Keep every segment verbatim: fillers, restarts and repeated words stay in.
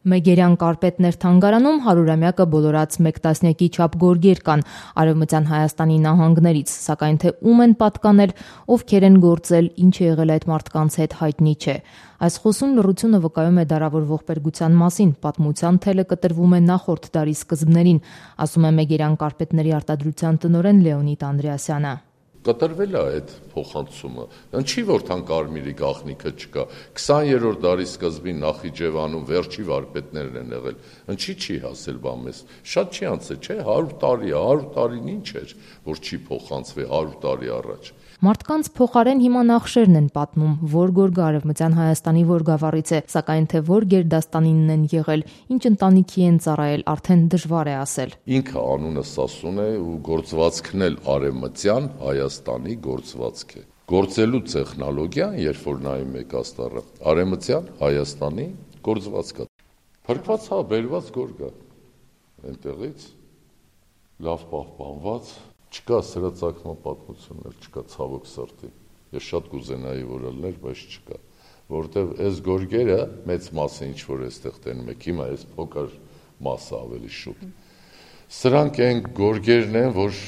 Մեգերյան կարպետներ թանգարանում հարյուրամյակը բոլորած մեկ տասնյակի չափ գորգեր կան Արևմտյան Հայաստանի նահանգներից, սակայն թե ում են պատկանել, ովքեր են գործել, ինչ է եղել այդ մարդկանց հետ հայտնի չէ։ Այս խոսուն լռությունը վկայում է դարավոր ողբերգության մասին, պատմության թելը կտրվում է նախորդ դարի սկզբներին, ասում է Մեգերյան կարպետների արտադրության տնօրեն Լեոնիդ Անդրեասյանը։ Կտրվել է այդ փոխանցումը, ինչի որ թան կարմիրի գաղտնիքը չկա, քսաներորդ դարի սկզբին Նախիջևանում վերջի վարպետներն են եղել, ինչի չի հասել բա մեզ, շատ չի անցել, չէ, հարյուր տարի, հարյուր տարին ինչ էր, որ չի փոխանցվի հարյուր տարի առաջ։ Մարդկանց փոխարեն հիմա նախշերն են պատմում, որ գորգը Արևմտյան Հայաստանի որ գավառից է, սակայն թե որ գերդաստանինն են եղել, ինչ ընտանիքի են ծառայել, արդեն դժվար է ասել։ Ինքը անունը Սասուն է ու գործվածքն էլ Արևմտյան Հայաստանի գործվածք է։ Գործելու տեխնոլոգիան, երբ որ նայում եք աստառը, Արևմտյան Հայաստանի գործվածք է։ Փրկված հա բերված գորգ է այնտեղից, լավ պահպանված, չկա սրածակման պատմություններ, չկա ցավոք սրտի։ Ես շատ կուզենայի որ ելներ, բայց չկա, որովհետև այս գորգերը մեծ մասը ինչ որ էստեղ տենում եք, հիմա այս փոքր մասը ավելի շուտ։ Սրանք այն գորգերն են, որ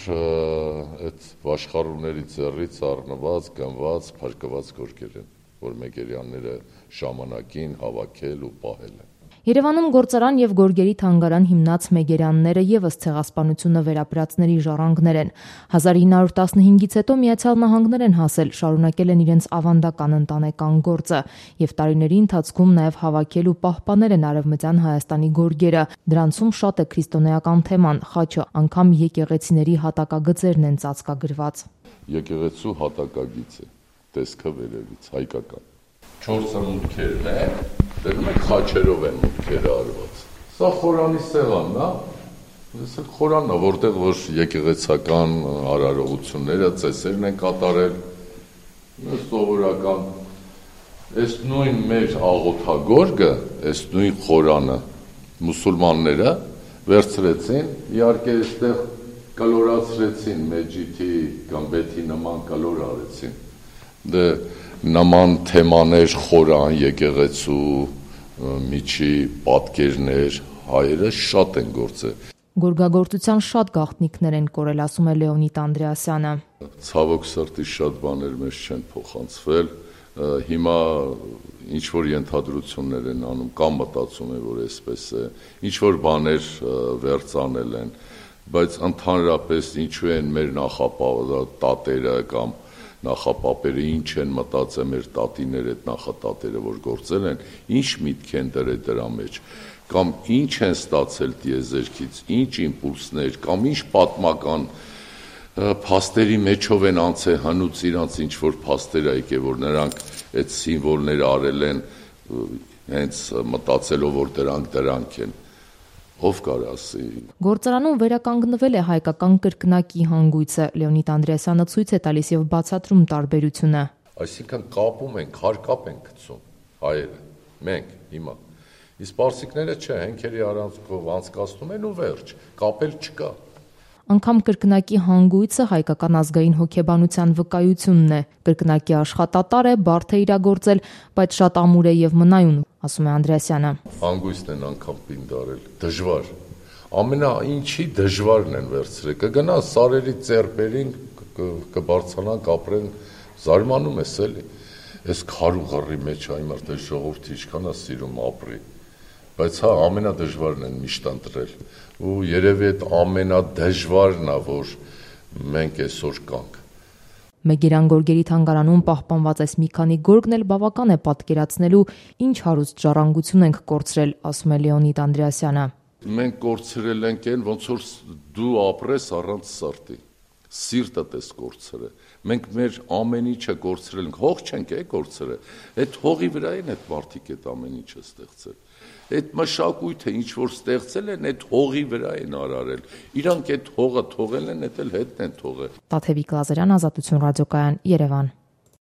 այդ վաշխառուների ձեռից առնված, գնված, փրկված գորգեր են, որ մեգերյանները ժամանակին հավաքել ու պահել են։ Երևանում գործարան եւ գորգերի թանգարան հիմնած մեգերյանները եւս ցեղասպանությունը վերապրածների ժառանգներ են։ հազար ինը հարյուր տասնհինգից հետո Միացյալ Նահանգներ են հասել, շարունակել են իրենց ավանդական ընտանեկան գործը եւ տարիների ընթացքում նաեւ հավաքել ու պահպանել են Արևմտյան Հայաստանի գորգերը։ Դրանցում շատ է քրիստոնեական թեման, խաչը, անգամ եկեղեցիների հատակագծերն են ծածկագրված։ Եկեղեցու հատակագիծ է, տեսքը վերևից հայկական։ Չորսը մուտքերն է, դերում եք խաչերով են մուտքերը արված։ Սա խորանի սեղանն է, ես էլ խորանն է, որտեղ որ եկեղեցական արարողությունները, ծեսերն են կատարել, սովորական, այս նույն մեր աղոթագորգը, այս նույն խորանը մուսուլմանները վերցրեցին, իհարկե այստեղ կլորացրեցին մեջիթի կամ բեթի նման կլոր արեցին, դե նման թեմաներ, խորան, եկեղեցու, միջի պատկերներ, հայերը շատ են գործել։ Գորգագործության շատ գաղտնիքներ են կորել, ասում է Լեոնիդ Անդրեասյանը։ Ցավոք սրտի շատ բաներ մեզ չեն փոխանցվել, հիմա ինչ որ ենթադրություններ են անում, կամ մտածում են, որ այսպես է, ինչ որ բաներ վերցանել են, բայց ընդհանրապես ինչու են մեր նախապատերը կամ նախապապերը ինչ են մտածել մեր տատիները, այդ նախատատերը, որ գործել են, ինչ միտք են դրել դրա մեջ, կամ ինչ են ստացել տիեզերքից, ինչ իմպուլսներ, կամ ինչ պատմական փաստերի մեջով են անցել հնուց իրանց ինչ որ փաստեր ա եկել, որ նրանք այդ սիմվոլները արել են, հենց մտածելով, որ դրանք դրանք են։ Ով կարա ասի։ Գործարանում վերականգնվել է հայկական կրկնակի հանգույցը, Լեոնիդ Անդրեասյանը ցույց է տալիս եւ բացատրում տարբերությունը։ Այսինքն կապում են, քարկապ են գցում հայերը, մենք հիմա։ Իսկ պարսիկները չէ, հենքերի առանցքով անցկացնում են ու վերջ, կապել չկա։ Անգամ կրկնակի հանգույցը հայկական ազգային հոգեբանության վկայությունն է։ Կրկնակի աշխատատար է, բարդ է իրագործել, բայց շատ ամուր է եւ մնայուն, ասում է Անդրեասյանը։ Հանգույցն են անգամ պինդարել, դժվար։ Ամենա ինչի դժվարն են վերցրել։ Կգնա սարերի ծերպերին, կբարձրանան, կապրեն, զարմանում ես էլի։ Այս քարուղարի մեջ այ մարդը ժողովրդի ինչքան է սիրում ապրի։ Բայց հա ամենադժվարն են միշտ ընտրել ու երևի այդ ամենադժվարն է, որ մենք այսօր կանք։ Մեգերյան գորգերի թանգարանում պահպանված այս մի քանի գորգն էլ բավական է պատկերացնելու ինչ հարուստ ժառանգություն ենք կորցրել, ասում է Լեոնիդ Անդրեասյանը։ Մենք կորցրել ենք այն, ոնց որ դու ապրես առանց սրտի, սիրտդ ես կորցրել։ Մենք մեր ամեն ինչը կորցրել ենք, հող չենք է կորցրել, այդ հողի վրա են այդ մարդիկ այդ ամեն ինչը ստեղծել։ Այդ մշակույթը ինչ որ ստեղծել են, այդ հողի վրա են արարել։ Իրանք այդ հողը թողել են, այդ էլ հետն են թողել։ Տաթևիկ Լազարյան, Ազատություն ռադիոկայան, Երևան։